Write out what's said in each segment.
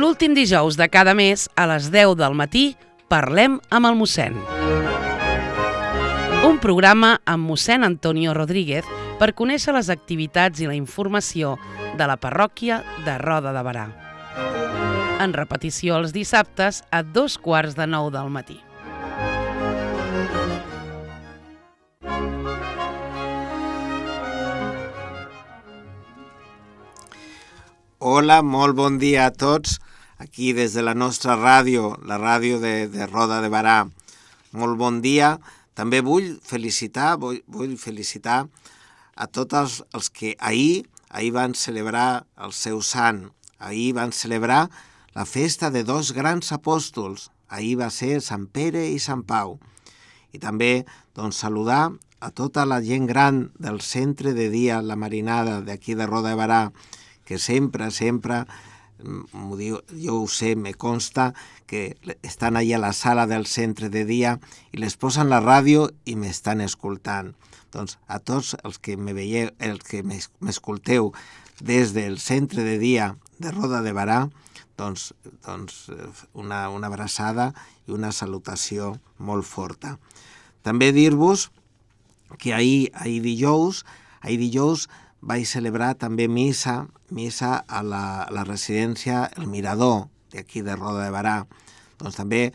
L'últim dijous de cada mes, a les 10 del matí, parlem amb el mossèn. Un programa amb mossèn Antonio Rodríguez per conèixer les activitats i la informació de la parròquia de Roda de Berà. En repetició els dissabtes a 8:45 del matí. Hola, molt bon dia a tots, aquí des de la nostra ràdio, la ràdio de Roda de Berà. Molt bon dia. També vull felicitar a tots els que ahir van celebrar el seu sant. Ahir van celebrar la festa de dos grans apòstols. Ahir va ser Sant Pere i Sant Pau. I també saludar a tota la gent gran del centre de dia La Marinada d'aquí de Roda de Berà, que sempre, m'ho diu, jo ho sé, me consta, que estan allà a la sala del centre de dia i les posen la ràdio i m'estan escoltant. Doncs a tots els que me veieu, els que m'escolteu des del centre de dia de Roda de Berà, doncs una abraçada i una salutació molt forta. També dir-vos que ahir dijous vaig celebrar també missa a la residència El Mirador, d'aquí de Roda de Berà. Doncs també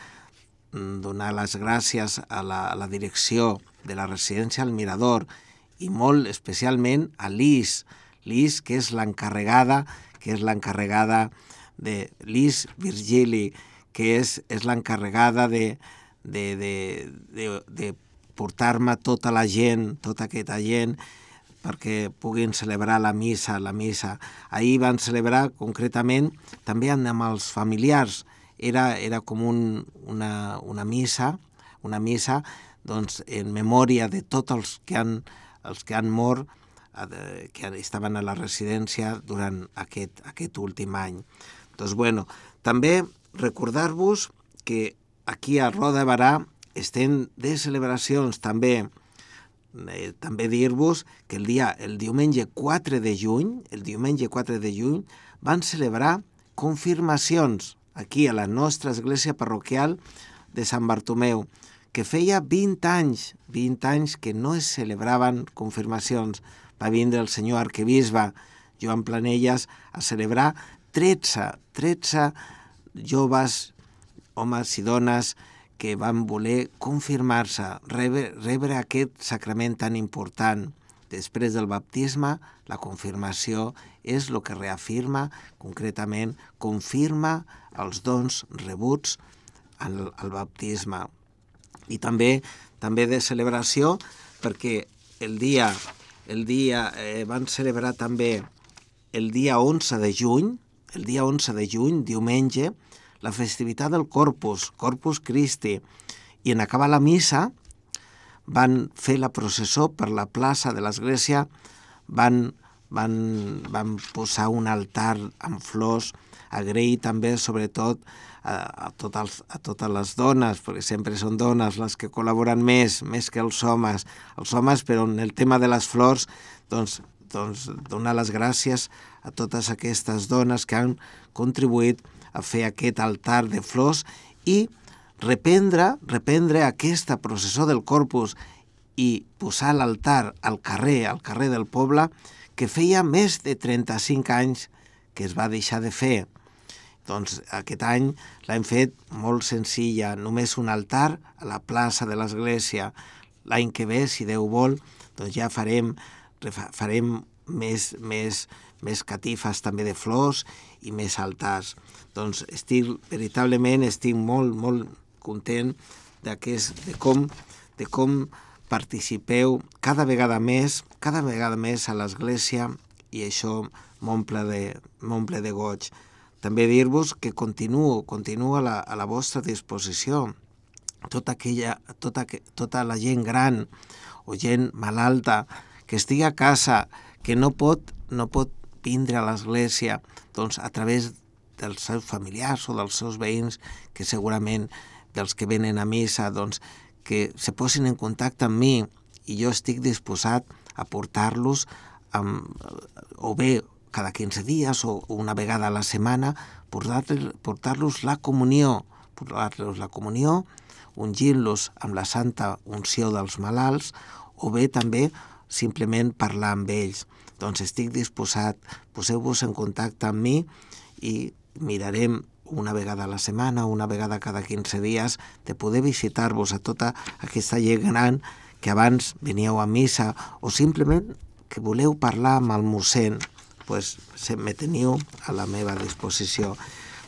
donar les gràcies a la direcció de la residència El Mirador i molt especialment a Lis, que és l'encarregada de Lis Virgili, que és l'encarregada de portar-me tota aquesta gent, perquè puguin celebrar la missa. Ahir van celebrar concretament també amb els familiars. Era com una missa en memòria de tots els que han mort, que estaven a la residència durant aquest últim any. També recordar-vos que aquí a Roda de Berà estem de celebracions també. També dir-vos que el diumenge 4 de juny van celebrar confirmacions aquí a la nostra església parroquial de Sant Bartomeu, que feia 20 anys que no es celebraven confirmacions. Va vindre el senyor arquebisbe Joan Planelles a celebrar 13 joves, homes i dones, que van voler confirmar-se, rebre aquest sacrament tan important. Després del baptisme, la confirmació és el que reafirma, concretament, confirma els dons rebuts al baptisme. I també de celebració, perquè van celebrar també el dia 11 de juny, diumenge, la festivitat del Corpus Christi, i en acabar la missa van fer la processó per la plaça de l'església, van posar un altar amb flors, agrair també sobretot a totes les dones, perquè sempre són dones les que col·laboren més que els homes, però en el tema de les flors, doncs donar les gràcies a totes aquestes dones que han contribuït a fer aquest altar de flors i reprendre aquesta processó del Corpus i posar l'altar al carrer del poble, que feia més de 35 anys que es va deixar de fer. Doncs aquest any l'hem fet molt senzilla, només un altar a la plaça de l'església. L'any que ve, si Déu vol, doncs ja farem més catifes també de flors i més altars. Doncs veritablement estic molt, molt content de com participeu cada vegada més a l'església, i això m'omple de goig. També dir-vos que continuo a la vostra disposició. Tota la gent gran o gent malalta que estigui a casa, que no pot vindre a l'església, doncs a través dels seus familiars o dels seus veïns, que segurament dels que venen a missa, doncs que se posin en contacte amb mi, i jo estic disposat a portar-los o bé cada 15 dies o una vegada a la setmana, portar-los la comunió, ungint-los amb la santa unció dels malalts, o bé també simplement parlar amb ells. Doncs estic disposat, poseu-vos en contacte amb mi i mirarem una vegada a la setmana, una vegada cada 15 dies, de poder visitar-vos a tota aquesta gent gran que abans veníeu a missa, o simplement que voleu parlar amb el mossèn, pues me teniu a la meva disposició.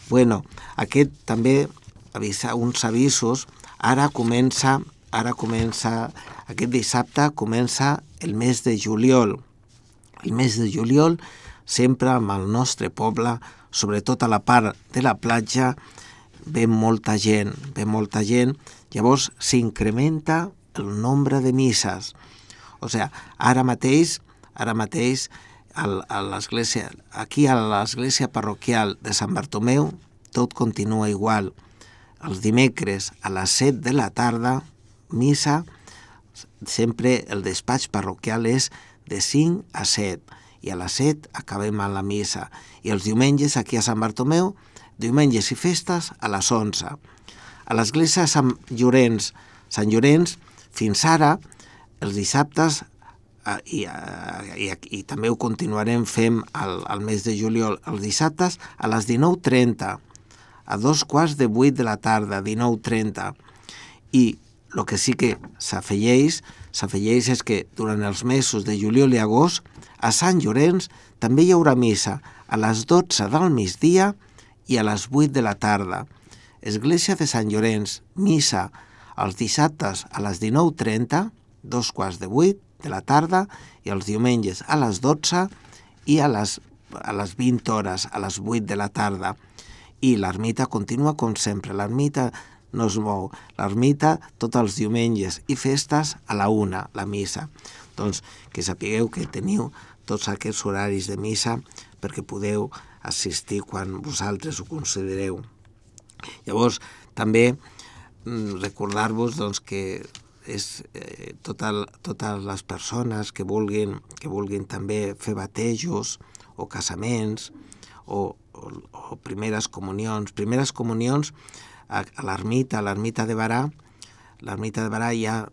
Bueno, aquest també, uns avisos, aquest dissabte comença el mes de juliol. El mes de juliol, sempre amb el nostre poble, sobretot a la part de la platja, ve molta gent, llavors s'incrementa el nombre de misses. O sigui, ara mateix, a l'església, aquí a l'església parroquial de Sant Bartomeu, tot continua igual. Els dimecres a les 7 de la tarda, missa, sempre el despatx parroquial és de 5 a 7, i a les 7 acabem a la missa. I els diumenges aquí a Sant Bartomeu, diumenges i festes a les 11. A l'església de Sant Llorenç, fins ara, els dissabtes, i també ho continuarem fent al mes de juliol, els dissabtes a les 19:30, a 7:15 de la tarda, 19:30. I el que sí que s'afegeix és que durant els mesos de juliol i agost, a Sant Llorenç també hi haurà missa a les 12 del migdia i a les 8 de la tarda. Església de Sant Llorenç, missa els dissabtes a les 19:30, 7:15 de la tarda, i els diumenges a les 12 i a les 20 hores, a les 8 de la tarda. I l'ermita continua com sempre, l'ermita no es mou. L'ermita tots els diumenges i festes a la 1, la missa. Doncs que sapigueu que teniu tots aquests horaris de missa perquè podeu assistir quan vosaltres ho considereu. Llavors, també recordar-vos doncs, que és totes les persones que vulguin també fer batejos o casaments o primeres comunions. Primeres comunions a l'ermita de Barà. L'ermita de Barà hi ha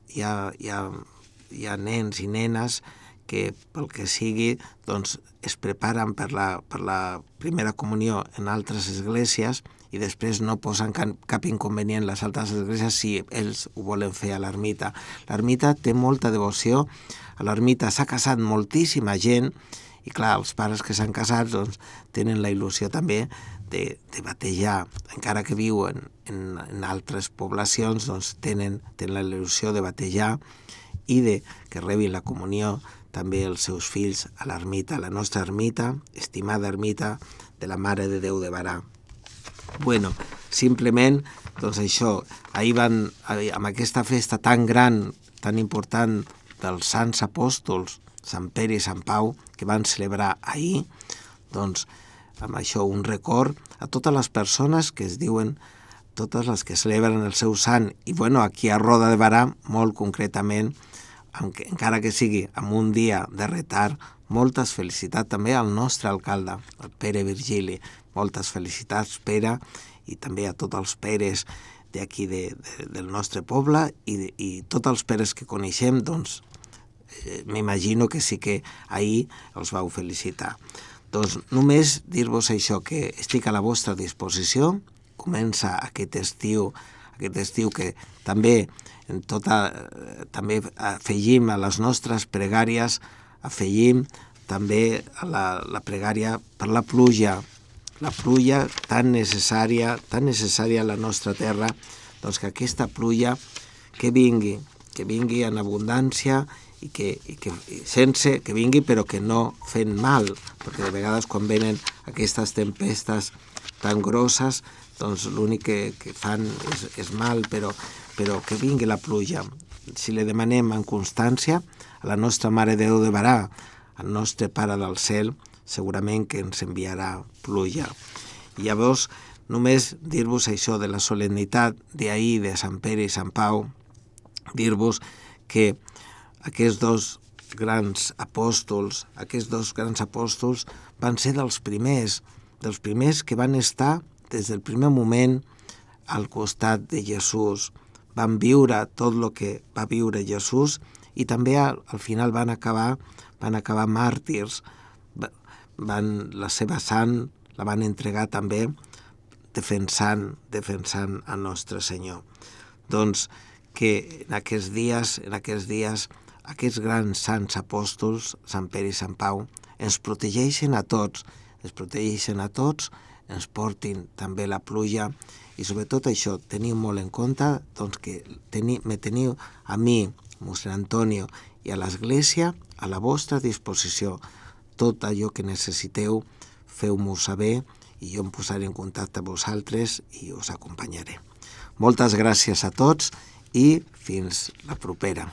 nens i nenes que, pel que sigui, doncs, es preparen per la primera comunió en altres esglésies i després no posen cap inconvenient les altres esglésies si ells ho volen fer a l'ermita. L'ermita té molta devoció, a l'ermita s'ha casat moltíssima gent i clar, els pares que s'han casat doncs, tenen la il·lusió també de batejar, encara que viuen en altres poblacions, doncs tenen la il·lusió de batejar i de que rebin la comunió també els seus fills a l'ermita, la nostra ermita, estimada ermita de la Mare de Déu de Barà. Bueno, simplement, doncs això, ahir van, amb aquesta festa tan gran, tan important dels Sants Apòstols, Sant Pere i Sant Pau, que van celebrar ahir, doncs, amb això un record a totes les persones que es diuen, totes les que celebren el seu sant, i bueno, aquí a Roda de Barà, molt concretament, encara que sigui amb un dia de retard, moltes felicitats també al nostre alcalde, el Pere Virgili. Moltes felicitats, Pere, i també a tots els Peres d'aquí del nostre poble i tots els Peres que coneixem, doncs m'imagino que sí que ahir els vau felicitar. Doncs només dir-vos això, que estic a la vostra disposició. Comença aquest estiu que també afegim a les nostres pregàries, afegim també a la pregària per la pluja tan necessària a la nostra terra, doncs que aquesta pluja que vingui en abundància i que vingui però que no fent mal, perquè de vegades quan venen aquestes tempestes tan grosses, doncs l'únic que fan és mal, però que vingui la pluja. Si li demanem en constància a la nostra Mare de Déu de Barà, al nostre Pare del Cel, segurament que ens enviarà pluja. I llavors, només dir-vos això de la solemnitat d'ahir de Sant Pere i Sant Pau, dir-vos que aquests dos grans apòstols, aquests dos grans apòstols van ser dels primers que van estar des del primer moment al costat de Jesús. Van viure tot el que va viure Jesús i també al final van acabar màrtirs. La seva sang la van entregar també defensant el nostre Senyor. Doncs que en aquests dies, aquests grans sants apòstols, Sant Pere i Sant Pau, ens protegeixen a tots, ens portin també la pluja i sobretot això, teniu molt en compte doncs, que me teniu a mi, mossèn Antonio, i a l'Església a la vostra disposició. Tot allò que necessiteu, feu-m'ho saber i jo em posaré en contacte amb vosaltres i us acompanyaré. Moltes gràcies a tots i fins la propera.